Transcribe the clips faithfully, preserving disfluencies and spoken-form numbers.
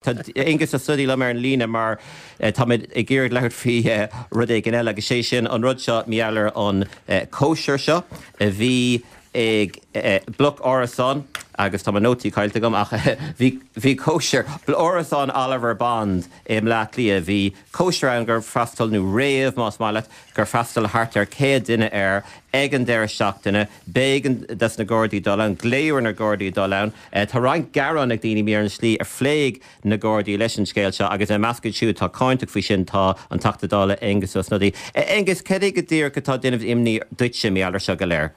Tá Aengus Ó Snodaigh liom ar an líne mar táimid ag iarraidh labhairt faoi rud éigin eile agus sé sin an rud seo mar gheall ar an cóisir seo a bhí ag bloc árasán agus tá mo nótaí caillte agam ach bhí bhí cóisir árasán Oliver Bond i mBleá Cliath bhí cóisir ann gur freastal nó rave más maith leat gur freastal thart ar céad duine air ag an deireadh seachtaine b'éigean dos na Gardaí dul ann glaodh ar na Gardaí dul ann Tá roinnt gearán ag daoine ar an slí a phléigh na Gardaí leis an scéal seo agus i measc siúd atá cáinteach faoi sin tá an Teachta Dála Aengus Ó Snodaigh. Aengus cad é go díreach atá ag déanamh imní duitse mar gheall air seo go léir.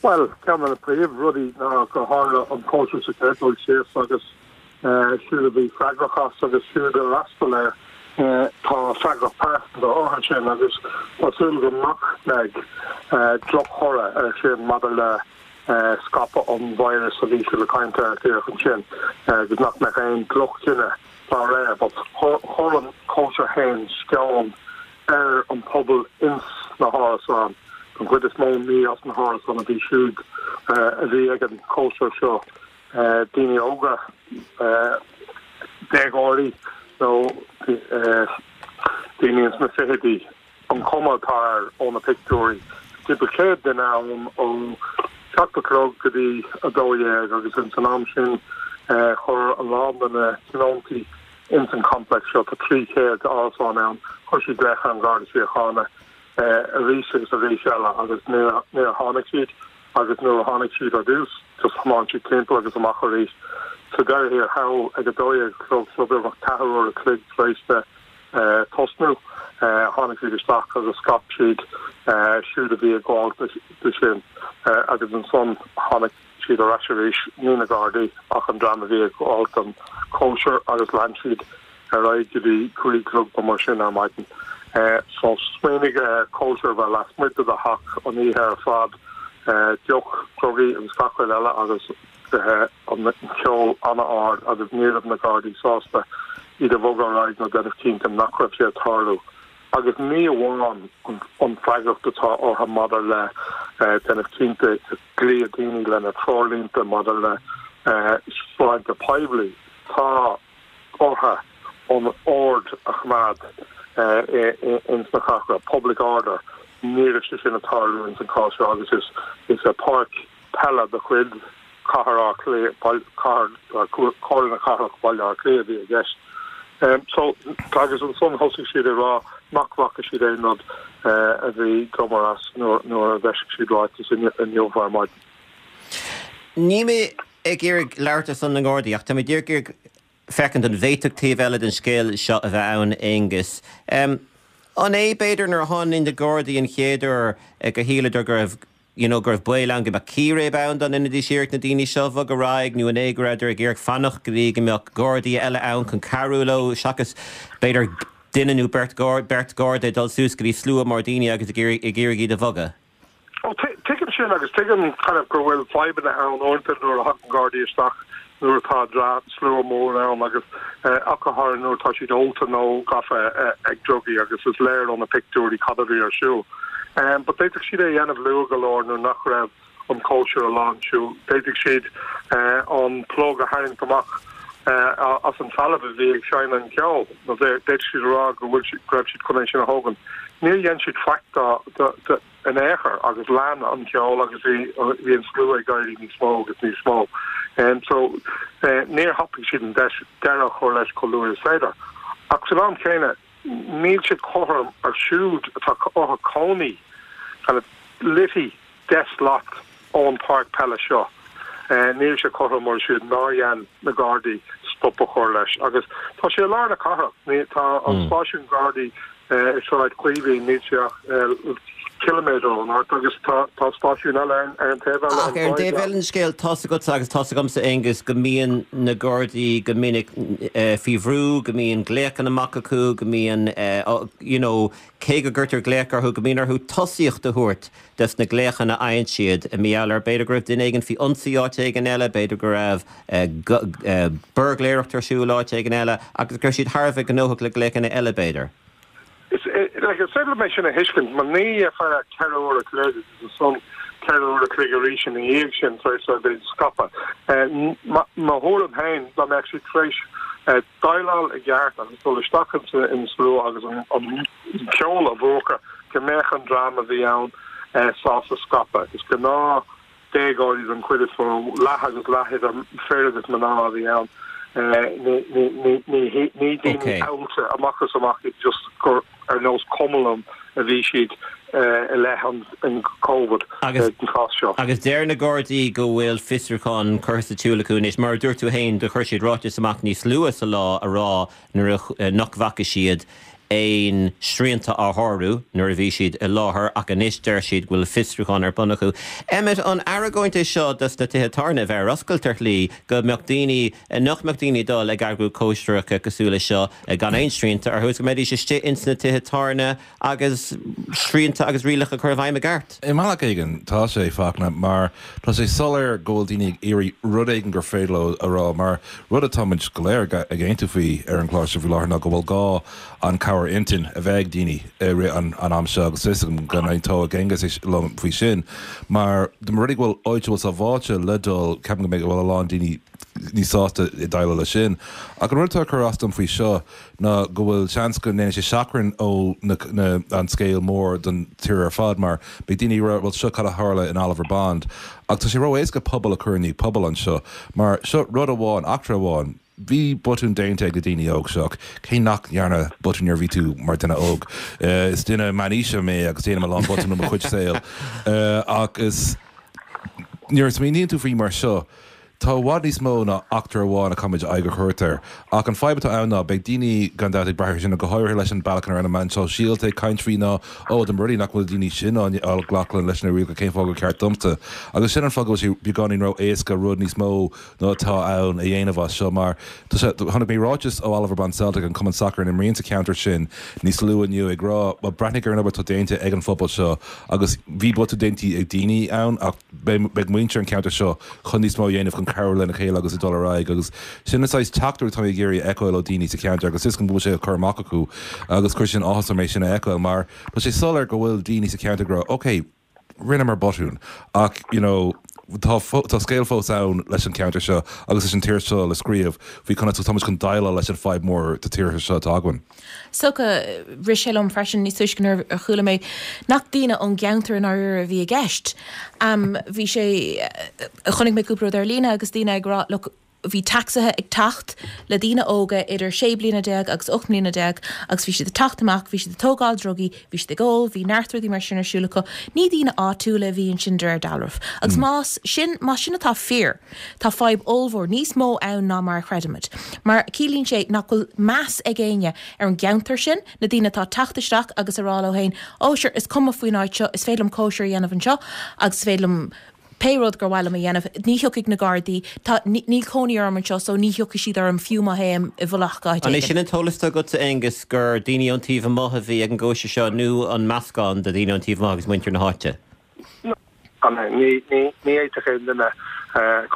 Well ceann de na príomhrudaí ná go tharla an cóisir sa chéad dul síos agus siúd a bhí freagrach as agus siúd a d'fhreastail air tá freagracht pearsanta orthu sin agus tá súil go nach mbeidh drochthoradh air sin maidir le scaipeadh an virus a bhí siad ag caint air díreach ansin agus nach mbeidh aon drochchinneadh dá réir, but chuir an cóisir féin sceon ar an pobal ins na hárasáin. An chuid is mó ní as na hárasáin a bhí siúd a bhí ag an cóisir seo daoine óga déagóirí nó daoine ins na fichidí an chuma atá air ó na pictiúirí. Timpeall céad duine ann ó seacht a chlog go dtí a dó dhéag agus ins an am sin chuir a lán de na tionóntaí ins an complex seo tá trí chéad árasán ann chuir siad glaoch ar an Gharda Síochána arís agus arís eile agus níor níor tháinig siad agus nuair a tháinig siad ar dtús just thiomáin siad timpeall agus amach arís. Sa deireadh thiar thall ag a dó dhéag a chlog so beagnach ceathair uair a chloig tar éis de tosnú tháinig siad isteach agus scaip siad siúd a bhí ag gabháil de sin agus ansan tháinig siad ar ais arís ní na Gardaí ach an dream a bhí ag gabháil don cóisir agus lean siad ar aghaidh go dtí cúig a chlog nó mar sin ar maidin. So smaoinigh cóisir a bheith lasmuigh de do theach an oíche ar fad deoch, drugaí agus gach rud eile agus an ceol an-ard agus ní raibh na Gardaí sásta iad a bhogadh ar aghaidh nó déanamh cinnte nach raibh sé ag tarlú. Agus ní amháin an freagracht atá orthu maidir le déanamh cinnte go gcloíonn daoine lena treoirlínte maidir le sláinte poiblí, tá orthu an ord a choimeád ins na cathrach, public order, ní raibh sé sin ag tarlú ins an cás seo agus is is a páirc peile de chuid Cathair Átha Cliath Comhairle na Cathrach Baile Átha Cliath a bhí i gceist. Um, so agus ansan thosaigh siad ag rá nach bhfaca siad aon rud uh, a bhí cuma as nuair a d'eisigh siad ráiteas inniu ar maidin. Ní mé ag iarraidh labhairt ar son na nGardaí ach tá mé ag féachaint an bhféadfadh taobh eile den scéal seo a bheith ann Aengus. Um, an é b'fhéidir nuair a tháinig na Gardaí an chéad uair go shíleadar go raibh you know, go raibh baol ann go mbeadh círéib ann dá ndéanfaidís iarracht na daoine seo a bhogadh ar aghaidh nó an é go rabhadar ag iarraidh fanacht go dtí go mbeadh Gardaí eile ann chun cabhrú leo seachas b'fhéidir duine nó beirt beirt Garda dul suas go dtí slua mór daoine agus ag iarraidh iad a bhogadh. Ó tuigim sin agus tuigim kind of go bhfuil fadhbanna ann uaireanta nuair a thagann Gardaí isteach nuair atá slua mór ann agus ach go háirithe nuair atá siad ólta nó gafa ag drugaí agus is léir ó na pictiúirí cad a bhí ar siúl. Um, but d'fhéadfadh siad é a dhéanamh luath go leor nuair nach raibh an cóisir i lán siúil. D'fhéadfadh siad uh, an plug a tharraingt amach uh, as an trealamh a bhí ag seinm an ceol nó d'fhéadfadh siad rá go bhfuil raibh siad chun é sin a thógáil. Níor dhein siad faic de in aon chor agus lean an ceol agus bhí bhí an slua ag éirí níos mó agus níos mó. Um, so uh, níor thapaigh siad an deis deireadh a chur leis chomh luath is féidir. Ach san am céanna níl siad cothrom ar siúd atá orthu cónaí kind of literally deich slat ón páirc peile seo. Uh, níl sé cothrom ar siúd nár dhein na Gardaí stop a chur leis agus tá sé lár na cathrach tá an mm. stáisiún Gardaí uh, i Sráid Chaoimhín níl sé ach uh, kilometer ón áit agus tá tá stáisiún eile ar an taobh eile Ach ar an taobh eile den scéal tá a fhios agat agus tá a fhios agamsa Aengus go mbíonn na Gardaí go minic uh, faoi bhrú go mbíonn glaochanna amach acu go mbíonn uh, you know, cé go gcuirtear glaoch orthu go mbíonn orthu tosaíocht a thabhairt des na glaochanna a fhaigheann siad i meall ar b'fhéidir go raibh duine éigin faoi ionsaí áit éigin eile b'fhéidir go raibh uh, buirgléireacht ar siúl áit éigin eile agus gur siad thar a bheith gnóthach le glaochanna eile b'fhéidir. Is like is féidir mé sin a thuiscint mar ní ar feadh ceithre uair a chloig ansan ceithre uair a chloig arís ina dhiaidh sin tar éis a bheith scaipthe. Mo thuairim féin dá mbeadh siad tar éis Déileáil i gceart agus dul isteach in slua agus an ceol a mhúchadh go mbeadh an dream a bhí ann sásta scaipeadh. Is gnáth déagóirí den chuid is mó, leath agus leath idir fir agus mná a bhí ann. Ní daoine oilte amach is amach iad, just gur ar nós cuma liom a bhí siad i leith an Covid Agus an cás seo. Agus deir na Gardaí go bhfuil fiosrúchán curtha sa tsiúl acu anois. Mar a dúirt tú féin, do chuir siad ráiteas amach níos luaithe sa lá a rá nuair a nach bhfaca siad aon srianta á shárú nuair a bhí siad i láthair, ach anois deir siad go bhfuil fiosrúchán ar bun acu. Emmet, an argóint é seo dos na tithe tábhairne a bheith ar oscailt ar shlí go mbeadh daoine, nach mbeadh daoine ag dul ag eagrú cóisireacha cosúil leis seo gan aon srianta orthu is go mbeidís istigh ins na tithe tábhairne agus srianta agus rialacha a chur i bhfeidhm i gceart? I mbealach éigin tá sé, Fachtna, mar tá sé soiléir go bhfuil daoine ag iarraidh rud éigin gur féidir leo a rá, mar rud atá muid go léir ag aontú faoi ar an gclár seo faoi láthair ná go bhfuil gá an cabhair intinn a bheith ag daoine i rith an an am seo agus is agam go n-aontóidh Aengus liom faoi sin mar de mar rudaí go bhfuil áit a bhfuil sábháilte le dul, ceapaim go mbeidh go bhfuil a lán daoine níos sásta i déileáil leis sin. Ach an rud atá ag cur as dom faoi seo ná go bhfuil seans go ndéanfaidh sé seachrán ó na, na, an scéal mór don tír ar fad mar beidh daoine ag rá bhuel seo cad a tharla in Oliver Bond. Ach tá sé ró-éasca pobal a chur i ndiaidh pobail anseo mar seo rud amháin, eachtra amháin. Bhí botún déanta ag na daoine óg seo, cé nach ndearna botún nuair a bhí tú mar duine óg? Is duine meánaoise mé agus déanaim a lán botún i mo chuid saoil. Ach is nuair a smaoiníonn tú faoi mar seo, tá i bhfad níos mó ná eachtra amháin a caithfimid aghaidh a thabhairt air. Ach an fadhb atá ann ná beidh daoine gan dabht ag brath air sin, go háirithe leis an bealach ina raibh na meáin shóisialta ag caint faoi ná ó dá mba rud é nach bhfuil daoine sin á glacadh leis na rialacha cén fáth gur ceart domsa. Agus sin an fáth go bhfuil sé beagáinín ró-éasca rud níos mó ná atá ann a dhéanamh as seo mar tá sé chonaic mé ráiteas ó Oliver Bond Celtic, an cumann sacair a imríonn sa cheantar sin níos luaithe inniu ag rá bhuel breathnaigh ar an obair atá déanta ag an phobal seo agus bhí botún déanta ag daoine ann ach beidh muintir an cheantair seo chun níos mó a dhéanamh chun cabhrú lena chéile agus ag dul ar aghaidh agus sin an saghas teachtaireacht atá mé ag iarraidh a fheiceáil ó daoine sa cheantar agus is go bhfuil sé á cur amach acu agus chuir sin áthas orm é sin a fheiceáil mar tá sé soiléir go bhfuil daoine sa cheantar ag rá ok rinneamar botún ach you know tá tá scéal fós ann leis an cheantar seo agus leis an tír seo le scríobh faoi conas atá muid chun déileáil leis an fadhb mór de tíortha seo atá againn. So rith sé liom freisin níos túisce nuair a chuala mé nach daoine ón gceantar i ndáiríre a bhí i gceist. Um, bhí sé chonaic mé cúpla rud ar líne agus daoine ag rá look, bhí tacsaithe ag teacht le daoine óga idir sé bliana déag agus ocht mbliana déag agus bhí siad ag teacht amach, bhí siad ag tógáil drugaí, bhí siad ag ól, bhí neart rudaí mar sin ar siúl acu. Ní daoine áitiúla a bhí ansin de réir dealraimh. Agus más sin más sin atá fíor, tá fadhb ollmhór níos mó ann ná mar a chreidimid. Mar ciallaíonn sé nach bhfuil meas ag éinne ar an gceantar sin, na daoine atá ag teacht isteach agus a rá leo féin, ó sure is cuma faoin áit seo, is féidir liom cóisir a dhéanamh anseo agus is féidir liom pé rud gur mhaith liom a dhéanamh, ní thiocfaidh na Gardaí, tá, níl cónaí orm anseo so ní thiocfaidh siad orm fiú má théim i bhfolach go háit An é éigin. sin an t-eolas atá agatsa, Aengus, gur daoine ón taobh amuigh a bhí ag an gcóisir seo nó an meascán de dhaoine ón taobh amuigh agus muintir na háite? An é? Ní, ní, ní fhéadfadh aon duine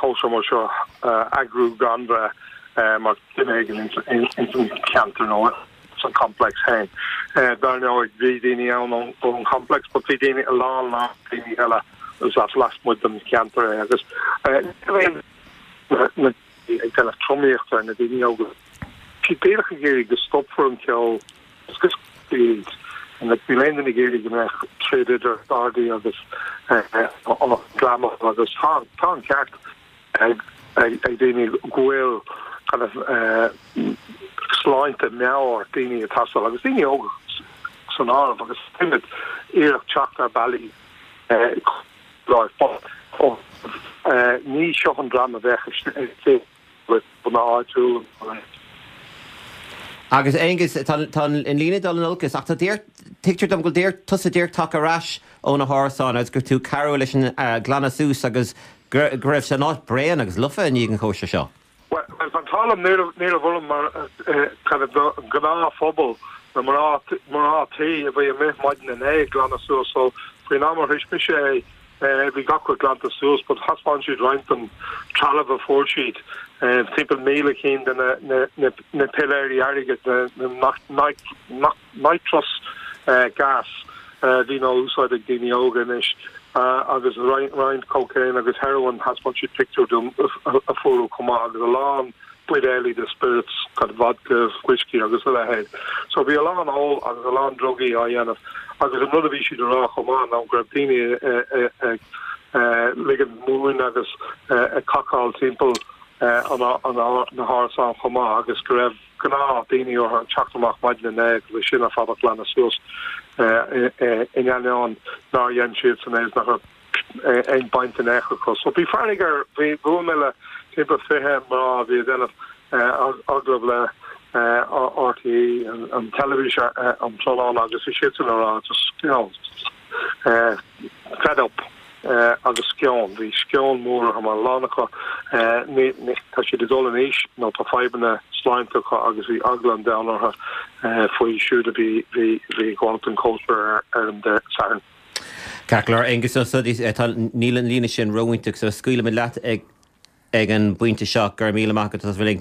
cóisir mar seo a eagrú gan bheith mar duine éigin ins an cheantar nó san complex féin. Dar ndóigh bhí daoine ann ón complex but bhí daoine, a lán lán daoine eile is as lasmuigh den cheantar é agus ní raibh ag déanamh tromaíochta ar na daoine óga. Siad díreach ag iarraidh go stopfar an ceol agus go iad. Níl aon duine ag iarraidh go mbeadh troid idir Gardaí agus an dream agus tá tá an ceart ag ag daoine go bhfuil kind of sláinte meabhair daoine ag teastáil agus daoine óga san áireamh agus táimid iarracht teacht ar bealaí ní seo an dream a bheadh istigh le na áitiúil. Agus Aengus, tá an líne ag dul in olcas ach tá tuigtear dom go bhfuil tusa díreach tagtha ar ais ó na hárasáin agus gur tú cabhrú leis an glanadh suas agus go raibh sé an áit bréan agus lofa i ndiaidh an chóisir seo. Well, an t-ádh liom ní raibh orm mar kind of gnáthphobal na mná mná tí a bhí amuigh maidin inné ag glanadh suas so faoin am a shroich mise é bhí gach rud glanta suas but thaispeáin siad roinnt den trealamh a fuair siad timpeall míle cinn de na na na piléirí airgid na na nitrous gas a bhíonn á úsáid ag daoine óga anois agus roinnt cocaine agus heroin thaispeáin siad pictiúr dom a fuaradh chomh maith agus a lán buidéalaí de spirits kind of vodka, whiskey agus a leithéid. So bhí a lán ól agus a lán drugaí á dhéanamh agus an rud a bhí siad a rá chomh maith ná go raibh daoine ag ligean múin agus ag cacáil timpeall na hárasán chomh maith agus go raibh gnáth daoine orthu teacht amach maidin inné agus sin ar fad a ghlanadh suas in ainneoin nár dhein siad san é nach raibh aon baint in aon chor acu. So bhí fearg ar bhí bhuail mé le timpeall fiche mná a bhí ag déanamh agallamh le RTÉ an teilifís an tráthnóna agus bhí siadsan ag rá just you know fed up agus sceon bhí sceon mór orthu mar a lán acu tá siad ag dul in aois nó tá fadhbanna sláinte acu agus bhí eagla an domhain orthu faoi siúd a bhí bhí bhí ag gabháil don chóisir ar an Satharn. Ceart go leor Aengus Ó Snodaigh tá níl an líne sin róiontach so scaoilfimid leat ag ag an bpointe seo go raibh míle maith agat as bheith linn.